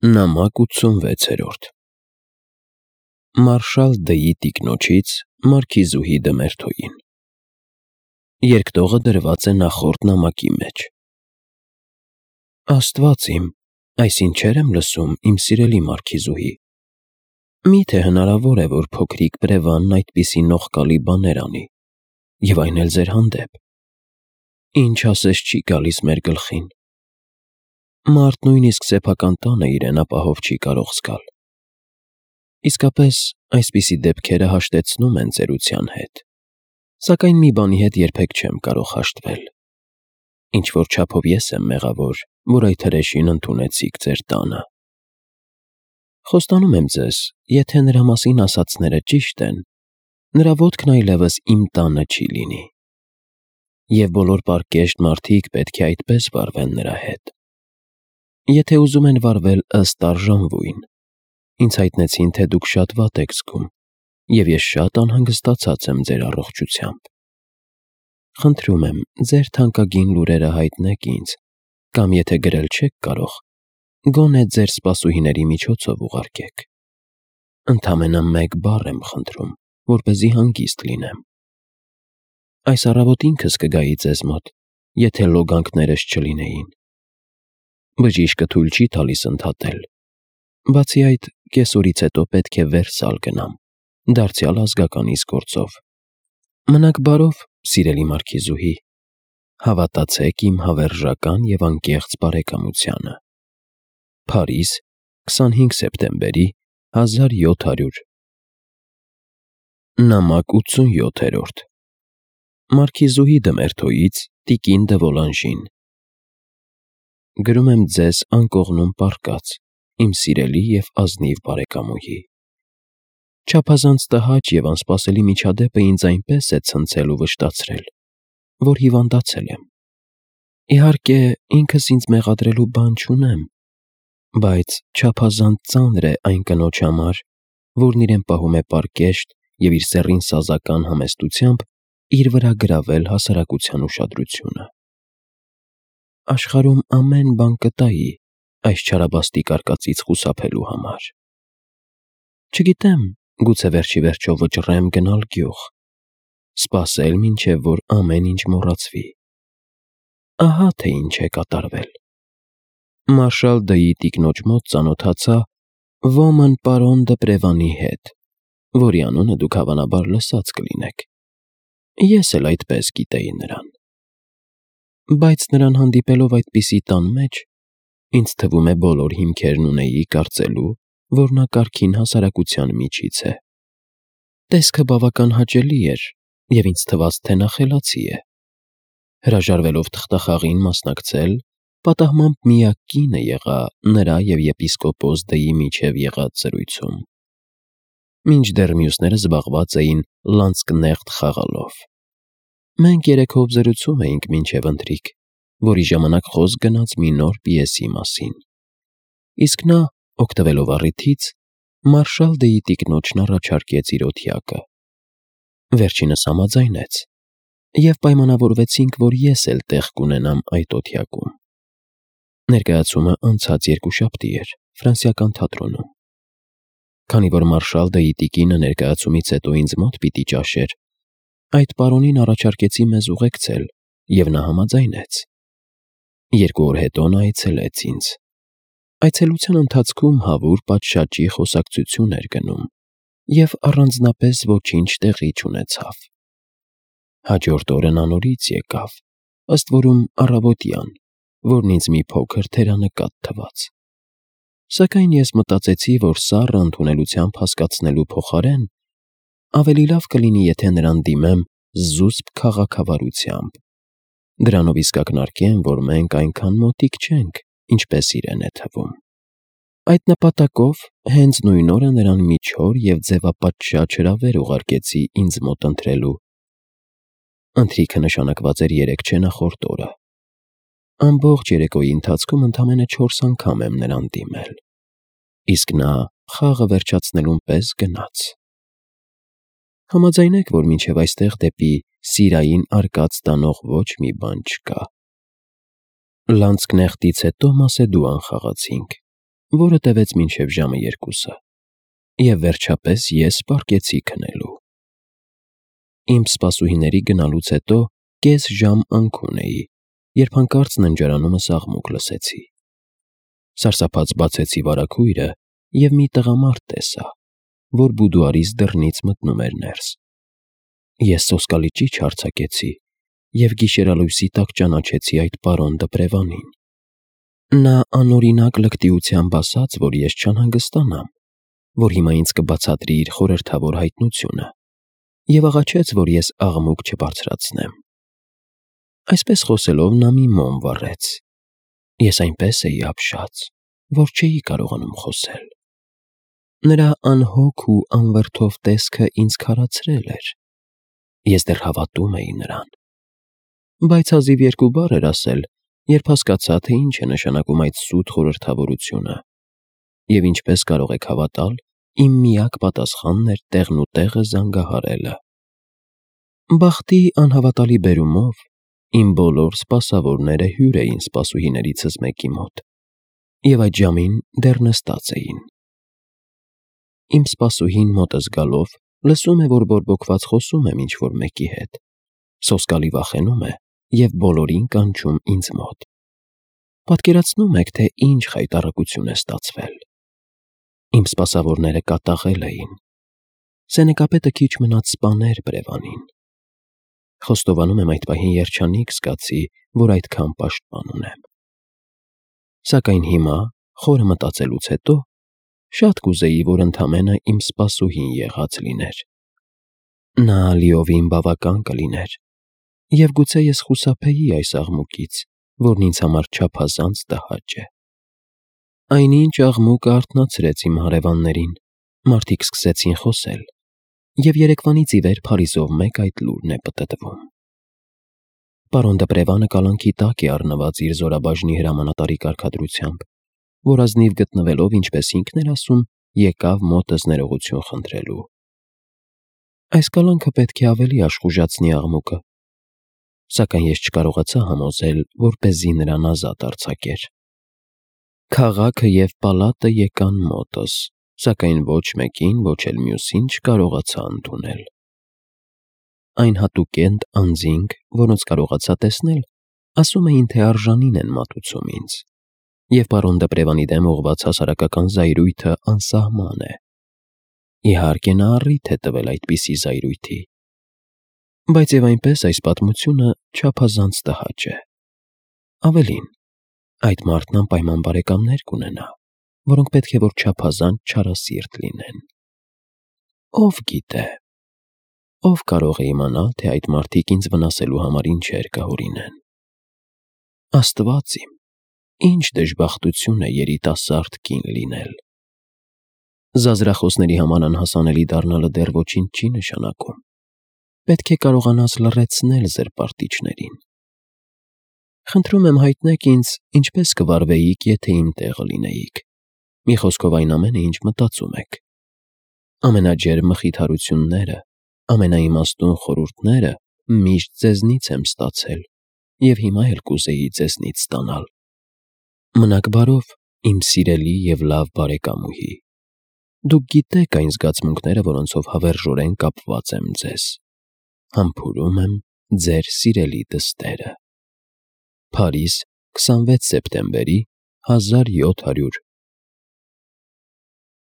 Նամակ 86-րդ Մարշալ Դ'ի տիկնոջից մարքիզուհի Դմերթոյին։ Երկտողը դրված է նախորդ նամակի մեջ։ Աստված իմ, այս ինչեր եմ լսում, իմ սիրելի մարքիզուհի։ Միթե հնարավոր է, որ փոքրիկ բրևանն այդպիսի նողկալի բաներ անի, և այն էլ ձեր հանդեպ։ Ինչ ասես չի գալիս մեր գլխին։ Մարդ նույնիսկ սեփական տանը իրեն ապահով չի կարող զգալ։ Իսկապես, այսպիսի դեպքերը հաշտեցնում են ծերության հետ, սակայն մի բանի հետ երբեք չեմ կարող հաշտվել։ Ինչ-որ չափով ես եմ մեղավոր, որ այդ հրեշին ընդունեցիք ձեր տանը։ Խոստանում եմ ձեզ, եթե նրա մասին ասածները ճիշտ են, նրա ոտքն այլևս իմ տանը չի լինի։ Եվ բոլոր պարկեշտ մարդիկ պետք է այդպես վարվեն նրա հետ։ Եթե ուզում են վարվել ըստ արժանվույն, ինձ հայտնեցին, թե դուք շատ վատ եք զգում, և ես շատ անհանգստացած եմ ձեր առողջությամբ։ Խնդրում եմ, ձեր թանկագին լուրերը հայտնեք ինձ, կամ եթե գրել չեք կարող, գոնե ձեր սպասուհիների միջոցով ուղարկեք։ Ընդամենը մեկ բառ եմ խնդրում, որպեսզի հանգիստ լինեմ։ Այս առավոտ ինքս կգայի ձեզ մոտ, եթե լոգանքներս չլինեին։ Բժիշկը թույլ չի տալիս ընդհատել։ Բացի այդ, կեսօրից հետո պետք է վերսալ գնամ, դարձյալ ազգականիս գործով։ Մնաք բարով, սիրելի մարքիզուհի, հավատացեք իմ հավերժական և անկեղծ բարեկամությանը։ Փարիզ, 25 սեպտեմբերի 1700 Նամակ 87-րդ Մարքիզուհի Դմերթոյից տիկին դը Վոլանժին։ Գրում եմ ձեզ անկողնում պառկած, իմ սիրելի և ազնիվ բարեկամուհի։ Չափազանց տհաճ և անսպասելի միջադեպը ինձ այնպես է ցնցել ու վշտացրել, որ հիվանդացել եմ։ Իհարկե, ինքս ինձ մեղադրելու բան չունեմ, բայց չափազանց ծանր է այն կնոջ համար, որն իրեն պահում է պարկեշտ և իր սեռին սազական համեստությամբ իր վրա գրավել հասարակության ուշադրությունը։ Աշխարհում ամեն բան կտայի այս չարաբաստիկ արկածից խուսափելու համար։ Չգիտեմ, գուցե վերջիվերջո վճռեմ գնալ գյուղ, սպասել մինչև որ ամեն ինչ մոռացվի։ Ահա թե ինչ է կատարվել։ Մարշալ Դ'ի տիկնոջ մոտ ծանոթացա ոմն պարոն դը Պրևանի հետ, որի անունը դուք հավանաբար լսած կլինեք։ Ես էլ այդպես գիտեի նրան։ Բայց նրան հանդիպելով այդպիսի տան մեջ, ինձ թվում է բոլոր հիմքերն ունեի կարծելու, որ նա կարգին հասարակության միջից է։ Տեսքը բավական հաճելի էր, և ինձ թվաց, թե նա խելացի է։ Հրաժարվելով թղթախաղին մասնակցել, պատահմամբ միակ կինը եղա նրա և եպիսկոպոս Դ'ի միջև եղած զրույցում։ Մինչդեռ մյուսները զբաղված էին լանցկնեղտ խաղալով։ Մենք երեքով զրուցում էինք մինչև ընթրիք, որի ժամանակ խոսք գնաց մի նոր պիեսի մասին։ Իսկ նա, օգտվելով առիթից, Մարշալ Դ'ի տիկնոջն առաջարկեց իր օթյակը։ Վերջինս համաձայնեց, և պայմանավորվեցինք, որ ես էլ տեղ կունենամ այդ օթյակում։ Ներկայացումը անցած երկուշաբթի էր Ֆրանսիական թատրոնում։ Քանի որ Մարշալ Դ'ի տիկինը ներկայացումից հետո ինձ մոտ պիտի ճաշեր, այդ պարոնին առաջարկեցի մեզ ուղեկցել, և նա համաձայնեց։ 2 օր հետո նա այցելեց ինձ։ Այցելության ընթացքում հավուր պատշաճի խոսակցություն էր գնում, և առանձնապես ոչինչ տեղի չունեցավ։ Հաջորդ օրը նա նորից եկավ, ըստ որում առավոտյան, որն ինձ մի փոքր թերանկատ թվաց։ Սակայն ես մտածեցի, որ սառը ընդունելությամբ հասկացնելու փոխարեն ավելի լավ կլինի, եթե նրան դիմեմ զուսպ քաղաքավարությամբ։ Դրանով իսկ ակնարկեմ, որ մենք այնքան մոտիկ չենք, ինչպես իրեն է թվում։ Այդ նպատակով հենց նույն օրը նրան մի չոր և ձևապատշաճ հրավեր ուղարկեցի ինձ մոտ ընթրելու։ Ընթրիքը նշանակված էր 3 չենախորդ օրը։ Ամբողջ երեկոյի ընթացքում ընդամենը 4 անգամ եմ նրան դիմել։ Իսկ նա խաղը վերջացնելուն պես գնաց։ Համաձայնեք, որ մինչև այստեղ դեպի սիրային արկած տանող ոչ մի բան չկա։ Լանցկնեղտից հետո Մասեդուան խաղացինք։ որը տևեց մինչև ժամը 2, և վերջապես ես պառկեցի քնելու։ Իմ սպասուհիների գնալուց հետո կես ժամ անքուն էի, երբ հանկարծ ննջարանումս աղմուկ լսեցի։ Սարսափած բացեցի վարագույրը և մի տղամարդ տեսա, որ բուդուարիս դռնից մտնում էր ներս։ Ես սոսկալի ճիչ արձակեցի և գիշերալույսի տակ ճանաչեցի այդ պարոն Դպրևանին։ Նա անօրինակ լկտիությամբ ասաց, որ ես չանհանգստանամ, որ հիմա ինձ կբացատրի իր խորհրդավոր հայտնությունը, և աղաչեց, որ ես աղմուկ չբարձրացնեմ։ Այսպես խոսելով նա մի մոմ վառեց։ Ես այնպես էի ապշած, որ չէի կարողանում խոսել։ Նրա անհոգ ու անվրդով տեսքը ինձ քարացրել էր։ Ես դեռ հավատում էի նրան։ Բայց հազիվ 2 բառ էր ասել, երբ հասկացա, թե ինչ է նշանակում այդ սուտ խորհրդավորությունը, և ինչպես կարող եք հավատալ, իմ միակ պատասխանն էր տեղն ու տեղը զանգահարելը։ Բախտի անհավատալի բերումով իմ բոլոր սպասավորները հյուր էին սպասուհիներիցս մեկի մոտ, և այդ ժամին դեռ նստած էին։ Իմ սպասուհին մոտս գալով լսում է, որ բորբոքված խոսում եմ ինչ-որ մեկի հետ, սոսկալի վախենում է և բոլորին կանչում ինձ մոտ։ Պատկերացնո՞ւմ եք, թե ինչ խայտառակություն է ստացվել։ Իմ սպասավորները կատաղել էին։ Սենեկապետը քիչ մնաց սպաներ Բրևանին։ Խոստովանում եմ, այդ պահին երջանիկ զգացի, որ այդքան պաշտպան ունեմ։ Սակայն հիմա, խորը մտածելուց հետո, շատ կուզեի, որ ընդամենը իմ սպասուհին եղած լիներ։ Նա լիովին բավական կլիներ, և գուցե ես խուսափեի այս աղմուկից, որն ինձ համար չափազանց տհաճ է։ Այնինչ աղմուկը արթնացրեց իմ հարևաններին, մարդիկ սկսեցին խոսել, և երեկվանից ի վեր Փարիզով մեկ այդ լուրն է պտտվում։ Պարոն Դպրևանը կալանքի տակ է առնված իր զորաբաժնի հրամանատարի կարգադրությամբ, որ ազնիվ գտնվելով, ինչպես ինքն էր ասում, եկավ մոտս ներողություն խնդրելու։ Այս կալանքը պետք է ավելի աշխուժացնի աղմուկը, սակայն ես չկարողացա համոզել, որպեսզի նրան ազատ արձակեր։ Քաղաքը և պալատը եկան մոտս, սակայն ոչ մեկին, ոչ էլ մյուսին չկարողացա ընդունել։ Այն հատուկենտ անձինք, որոնց կարողացա տեսնել, ասում էին, թե արժանին են մատուցում ինձ, և պարոն Դպրևանի դեմ ուղղված հասարակական զայրույթը անսահման է։ Իհարկե նա առիթ է տվել այդպիսի զայրույթի։ Բայց և այնպես այս պատմությունը չափազանց տհաճ է։ Ավելին, այդ մարդն անպայման բարեկամներ կունենա, որոնք պետք է որ չափազանց չարասիրտ լինեն։ Ով գիտե, ով կարող է իմանալ, թե այդ մարդիկ ինձ վնասելու համար ինչեր կհորինեն։ Աստված իմ, ինչ դժբախտություն է երիտասարդ կին լինել։ Զազրախոսների համար անհասանելի դառնալը դեռ ոչինչ չի նշանակում։ Պետք է կարողանաս լռեցնել զրպարտիչներին։ Խնդրում եմ հայտնեք ինձ, ինչպես կվարվեիք, եթե իմ տեղը լինեիք։ Մի խոսքով այն ամենը, ինչ մտածում եք։ Ամենաջերմ մխիթարությունները, ամենաիմաստուն խորհուրդները միշտ ձեզնից եմ ստացել, և հիմա էլ կուզեի ձեզնից ստանալ։ Մնաք բարով, իմ սիրելի և լավ բարեկամուհի։ Դուք գիտեք այն զգացմունքները, որոնցով հավերժորեն կապված եմ ձեզ։ Համբուրում եմ ձեր սիրելի դստերը։ Փարիզ, 26 սեպտեմբերի 1700